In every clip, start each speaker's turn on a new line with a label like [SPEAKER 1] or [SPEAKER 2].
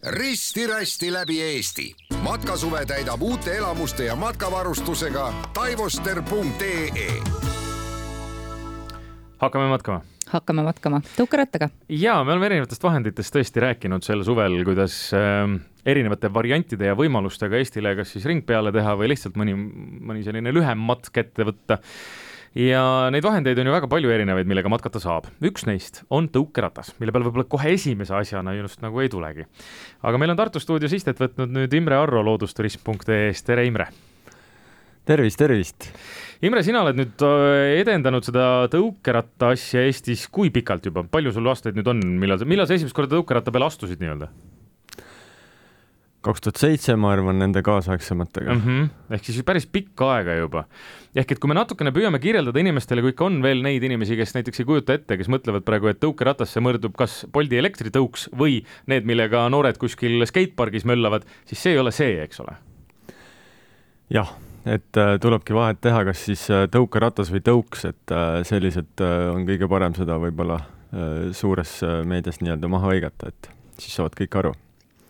[SPEAKER 1] risti-rästi läbi Eesti. Matkasuve täidab uute elamuste ja matkavarustusega taivoster.ee.
[SPEAKER 2] Hakkame matkama. Tõukerattaga.
[SPEAKER 3] Ja me oleme erinevatest vahenditest tõesti rääkinud sel suvel, kuidas erinevate variantide ja võimalustega Eestile kas siis ring peale teha või lihtsalt mõni selline lühem matk ette võtta. Ja neid vahendeid on ju väga palju erinevaid, millega matkata saab. Üks neist on tõukeratas, mille peal võib-olla kohe esimese asjana just nagu ei tulegi. Aga meil on Tartu stuudios istet võtnud nüüd Imre Arro loodusturism.ee-st. Tere, Imre!
[SPEAKER 4] Tervist!
[SPEAKER 3] Imre, sina oled nüüd edendanud seda tõukeratta asja Eestis kui pikalt juba? Palju sul aastaid nüüd on? Millal sa esimest korda tõukeratta peale astusid nii-öelda?
[SPEAKER 4] 2007, ma arvan, nende kaasaegsematega.
[SPEAKER 3] Ehk siis päris pikka aega juba. Ehk et kui me natukene püüame kirjeldada inimestele, kui ikka on veel neid inimesi, kes näiteks ei kujuta ette, kes mõtlevad praegu, et tõukeratasse mõrdub kas Bolti elektritõuks või need, millega noored kuskil skatepargis möllavad, siis see ei ole see, eks ole?
[SPEAKER 4] Jah, et tulebki vahet teha, kas siis tõukeratas või tõuks, et sellised on kõige parem seda võib-olla suures meedias nii-öelda maha õigata, et siis saavad kõik aru.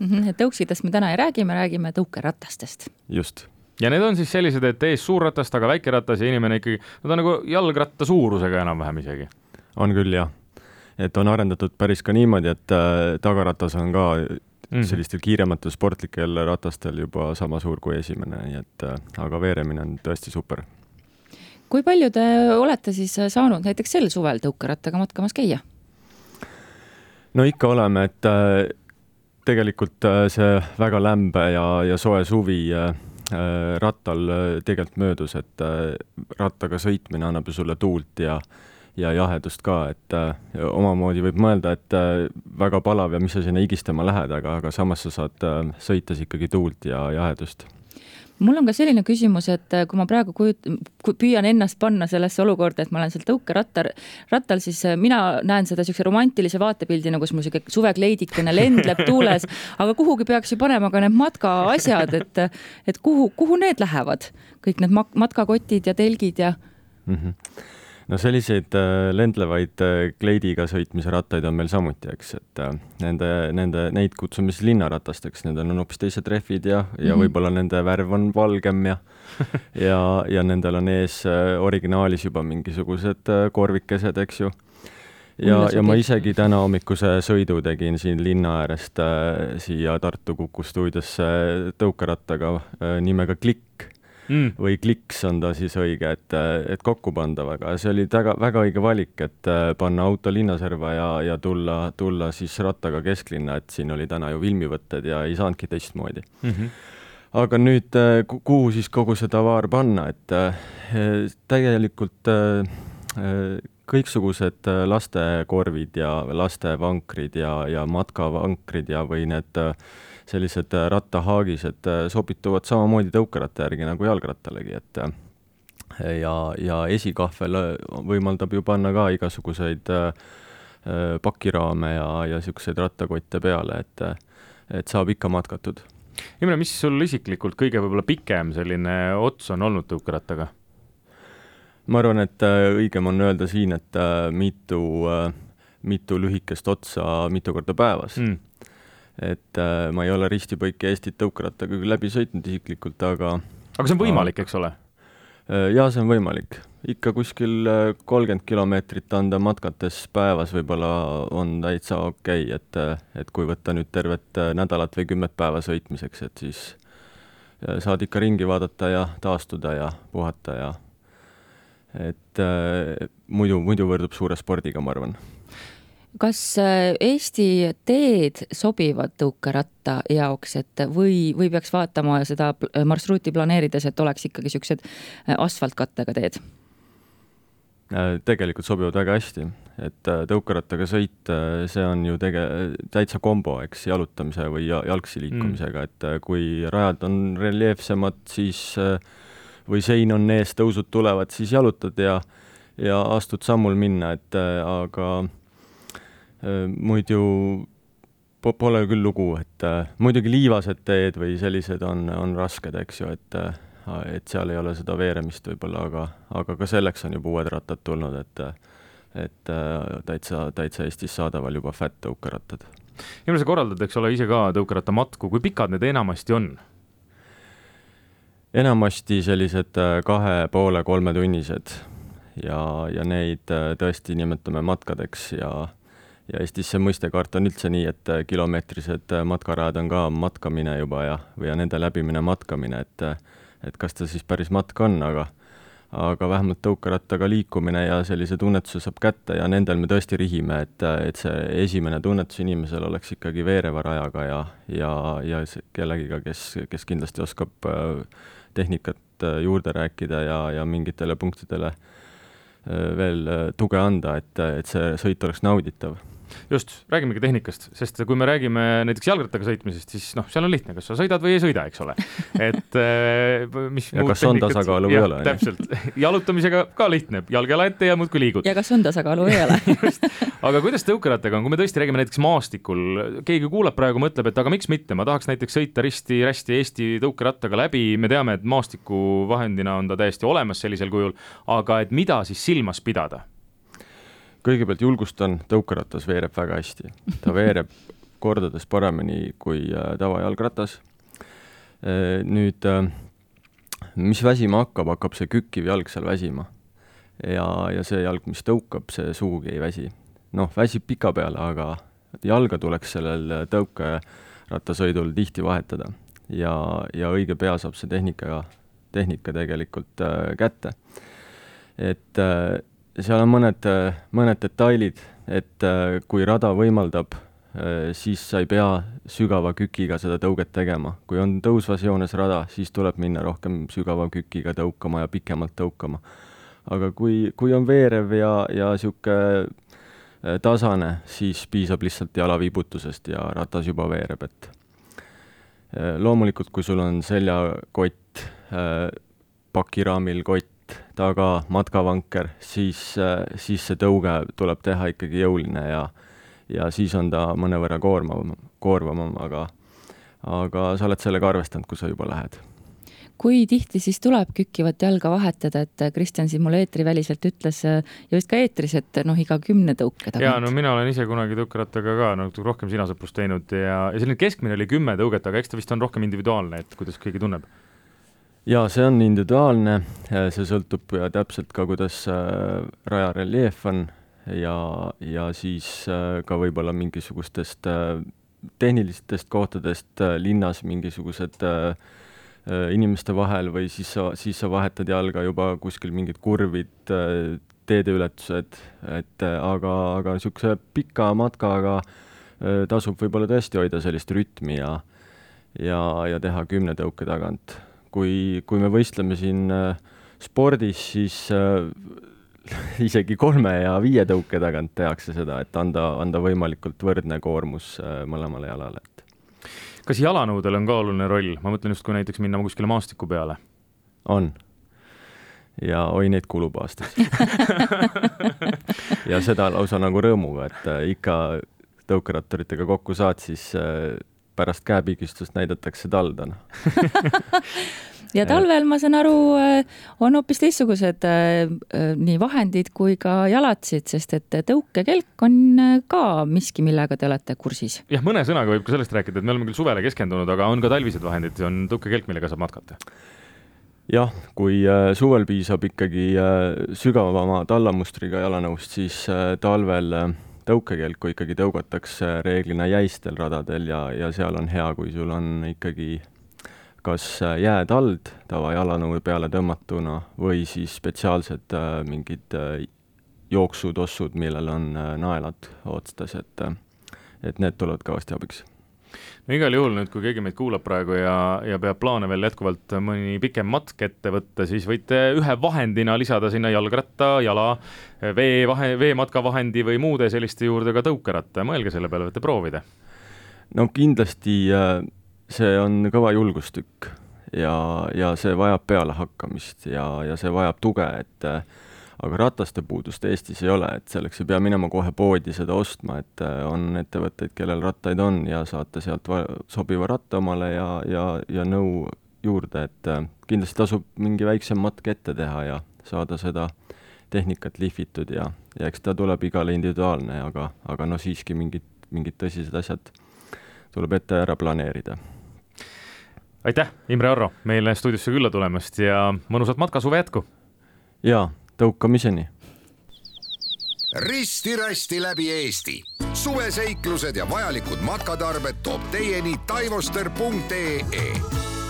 [SPEAKER 2] Tõuksidest me täna ei räägi, me räägime tõukeratastest.
[SPEAKER 4] Just.
[SPEAKER 3] Ja need on siis sellised, et ees suur ratas, taga väike ratas ja inimene ikkagi, no ta nagu jalgratta suurusega enam-vähem isegi.
[SPEAKER 4] On küll, jah. Et on arendatud päris ka niimoodi, et tagaratas on ka sellistel kiirematel sportlikel ratastel juba sama suur kui esimene, nii et aga veeremine on tõesti super.
[SPEAKER 2] Kui palju te olete siis saanud näiteks sel suvel tõukerattaga matkamas käia?
[SPEAKER 4] No ikka oleme, et tegelikult see väga lämbe ja soe suvi rattal tegelikult möödus, et rattaga sõitmine annab ju sulle tuult ja jahedust ka, et omamoodi võib mõelda, et väga palav ja mis sa sinna higistama lähed, aga samas sa saad sõites ikkagi tuult ja jahedust.
[SPEAKER 2] Mul on ka selline küsimus, et kui ma praegu püüan ennast panna sellesse olukorda, et ma olen seal tõukerattal, siis mina näen seda sellise romantilise vaatepildina, kus mul suvekleidikene lendleb tuules, aga kuhugi peaks ju panema ka need matkaasjad, et kuhu need lähevad? Kõik need matkakotid ja telgid ja...
[SPEAKER 4] No selliseid lendlevaid kleidiga sõitmise rattaid on meil samuti, eks, et neid kutsume siis linnaratasteks, nendel on hoopis teised rehvid ja võib-olla nende värv on valgem ja nendel on ees originaalis juba mingisugused korvikesed, eks ju. Ja ma isegi täna hommikuse sõidu tegin siin linna äärest siia Tartu Kuku stuudiosse tõukerattaga nimega Klikk. Või Kliks on ta siis õige, et kokku pandavaga. See oli väga õige valik, et panna auto linnaserva ja tulla siis rattaga kesklinna, et siin oli täna ju filmivõtted ja ei saanudki teistmoodi. Aga nüüd, kuhu siis kogu seda vaar panna, et tegelikult kõiksugused lastekorvid ja lastevankrid ja matkavankrid ja või need sellised rattahaagised sobituvad samamoodi tõukeratta järgi nagu jalgrattalegi, et ja esikahvel võimaldab ju panna ka igasuguseid pakiraame ja siukseid rattakotte peale, et saab ikka matkatud.
[SPEAKER 3] Imre, mis sul isiklikult kõige võib-olla pikem selline ots on olnud tõukerattaga?
[SPEAKER 4] Ma arvan, et õigem on öelda siin, et mitu lühikest otsa mitu korda päevas. Et ma ei ole ristipõike Eestit tõukerattaga küll läbi sõitnud isiklikult, aga
[SPEAKER 3] see on võimalik, eks ole?
[SPEAKER 4] Jaa, see on võimalik. Ikka kuskil 30 kilomeetrit anda matkates päevas võib-olla on täitsa okei, et kui võtta nüüd tervet nädalat või 10 päeva sõitmiseks, et siis saad ikka ringi vaadata ja taastuda ja puhata ja et muidu võrdub suure spordiga, ma arvan.
[SPEAKER 2] Kas Eesti teed sobivad tõukeratta jaoks, et või peaks vaatama seda marsruuti planeerides, et oleks ikkagi siuksed asfaltkattega teed?
[SPEAKER 4] Tegelikult sobivad väga hästi, et tõukerattaga sõit, see on ju täitsa kombo, eks, jalutamise või jalgsi liikumisega, et kui rajad on reljeefsemad, siis või sein on ees, tõusud tulevad, siis jalutad ja astud sammul minna, et aga muidu pole küll lugu, et muidugi liivased teed või sellised on rasked, eks ju, et seal ei ole seda veeremist võib-olla, aga ka selleks on juba uued rattad tulnud, et täitsa Eestis saadaval juba fat tõukerattad.
[SPEAKER 3] Ilma sa korraldad, eks ole, ise ka tõukerattamatku, kui pikad need enamasti on?
[SPEAKER 4] Enamasti sellised 2,5–3 tunnised ja neid tõesti nimetame matkadeks ja Eestis see mõistekaart on üldse nii, et kilomeetrised matkarajad on ka matkamine juba ja nende läbimine matkamine, et kas ta siis päris matk on, aga vähemalt tõukerattaga liikumine ja sellise tunnetuse saab kätte ja nendel me tõesti rihime, et see esimene tunnetus inimesel oleks ikkagi veereva rajaga ja kellegiga, kes kindlasti oskab tehnikat juurde rääkida ja mingitele punktidele veel tuge anda, et see sõit oleks nauditav.
[SPEAKER 3] Just, räägimegi tehnikast, sest kui me räägime näiteks jalgrattaga sõitmisest, siis seal on lihtne, kas sa sõidad või ei sõida, eks ole. Et mis
[SPEAKER 4] ja kas on tasakaalu või ei ole?
[SPEAKER 3] Täpselt, jalutamisega ka lihtne, jalgjala ette ja muudkui liigud.
[SPEAKER 2] Ja kas on tasakaalu või ei ole?
[SPEAKER 3] Aga kuidas tõukerattaga on, kui me tõesti räägime näiteks maastikul, keegi kuulab praegu, mõtleb, et aga miks mitte, ma tahaks näiteks sõita risti Eesti tõukerattaga läbi, me teame, et maastiku vahendina on ta täiesti olemas sellisel kujul, aga et mida siis silmas pidada?
[SPEAKER 4] Kõigepealt julgustan, tõukeratas veereb väga hästi. Ta veereb kordades paremini kui tavajalgratas. Nüüd, mis väsima hakkab see kükkiv jalg seal väsima. Ja see jalg, mis tõukab, see suugi ei väsi. Väsib pika peale, aga jalga tuleks sellel tõukerattasõidul tihti vahetada. Ja õige pea saab see tehnika tegelikult kätte. Et seal on mõned detailid, et kui rada võimaldab, siis sa ei pea sügava kükiga seda tõuget tegema. Kui on tõusvas joones rada, siis tuleb minna rohkem sügava kükiga tõukama ja pikemalt tõukama. Aga kui on veerev ja siuke tasane, siis piisab lihtsalt jalaviibutusest ja ratas juba veereb. Et loomulikult, kui sul on seljakott, pakiraamil kott, taga matkavanker, siis see tõuge tuleb teha ikkagi jõuline ja siis on ta mõnevõrra koorvavam, aga sa oled sellega arvestanud, kui sa juba lähed.
[SPEAKER 2] Kui tihti siis tuleb kükkivat jalga vahetada, et Kristjan siin mulle eetriväliselt ütles ja vist ka eetris, et iga 10 tõuke tagant.
[SPEAKER 3] Jaa, mina olen ise kunagi tõukerattaga ka rohkem sinasõprust teinud ja selline keskmine oli 10 tõuget, aga eks ta vist on rohkem individuaalne, et kuidas keegi tunneb.
[SPEAKER 4] Jaa, see on individuaalne, see sõltub täpselt ka, kuidas raja reljeef on ja siis ka võib-olla mingisugustest tehnilistest kohtadest linnas mingisugused inimeste vahel või siis sa vahetad jalga juba kuskil mingid kurvid, teedeületused, aga niisuguse pika matkaga tasub võib-olla tõesti hoida sellist rütmi ja teha 10 tõuke tagant. Kui me võistleme siin spordis, siis isegi 3 ja 5 tõuke tagant tehakse seda, et anda võimalikult võrdne koormus mõlemale jalale.
[SPEAKER 3] Kas jalanõudel on ka oluline roll? Ma mõtlen just, kui näiteks minna kuskile maastiku peale.
[SPEAKER 4] On. Ja neid kulub aastas. Ja seda lausa nagu rõõmuga, et ikka tõukerattoritega kokku saad, siis pärast käepigistust näidatakse taldana.
[SPEAKER 2] Ja talvel, ma saan aru, on hoopis teistsugused nii vahendid kui ka jalatsid, sest et tõukekelk on ka miski, millega te olete kursis.
[SPEAKER 3] Jah, mõne sõnaga võib ka sellest rääkida, et me oleme küll suvele keskendunud, aga on ka talvised vahendid, on tõukekelk, millega saab matkata.
[SPEAKER 4] Jah, kui suvel piisab ikkagi sügavama tallamustriga jalanõust, siis talvel tõukekelku ikkagi tõugatakse reeglina jäistel radadel ja seal on hea, kui sul on ikkagi kas jäätald tava jalanõu peale tõmmatuna või siis spetsiaalsed mingid jooksutossud, millel on naelad otstas, et need tulevad kõvasti abiks.
[SPEAKER 3] No igal juhul nüüd, kui keegi meid kuulab praegu ja peab plaane veel jätkuvalt mõni pikem matk ette võtta, siis võite ühe vahendina lisada sinna jalgratta, jala, veematkavahendi või muude selliste juurde ka tõukeratta. Mõelge selle peale, võite proovida.
[SPEAKER 4] No kindlasti see on kõva julgustükk ja see vajab peale hakkamist ja see vajab tuge, aga rataste puudust Eestis ei ole, et selleks ei pea minema kohe poodi seda ostma, et on ettevõtteid, kellel rattaid on ja saate sealt sobiva ratta omale ja nõu juurde, et kindlasti tasub mingi väiksem matk ette teha ja saada seda tehnikat lihvitud ja eks ta tuleb igale individuaalne, aga siiski mingid mingid tõsised asjad tuleb ette ära planeerida.
[SPEAKER 3] Aitäh, Imre Arro, meile stuudiosse külla tulemast ja mõnusat matkasuve jätku!
[SPEAKER 4] Jaa, tõukamiseni!
[SPEAKER 1] Risti-rästi läbi Eesti. Suveseiklused ja vajalikud matkatarbed toob teieni taivoster.ee.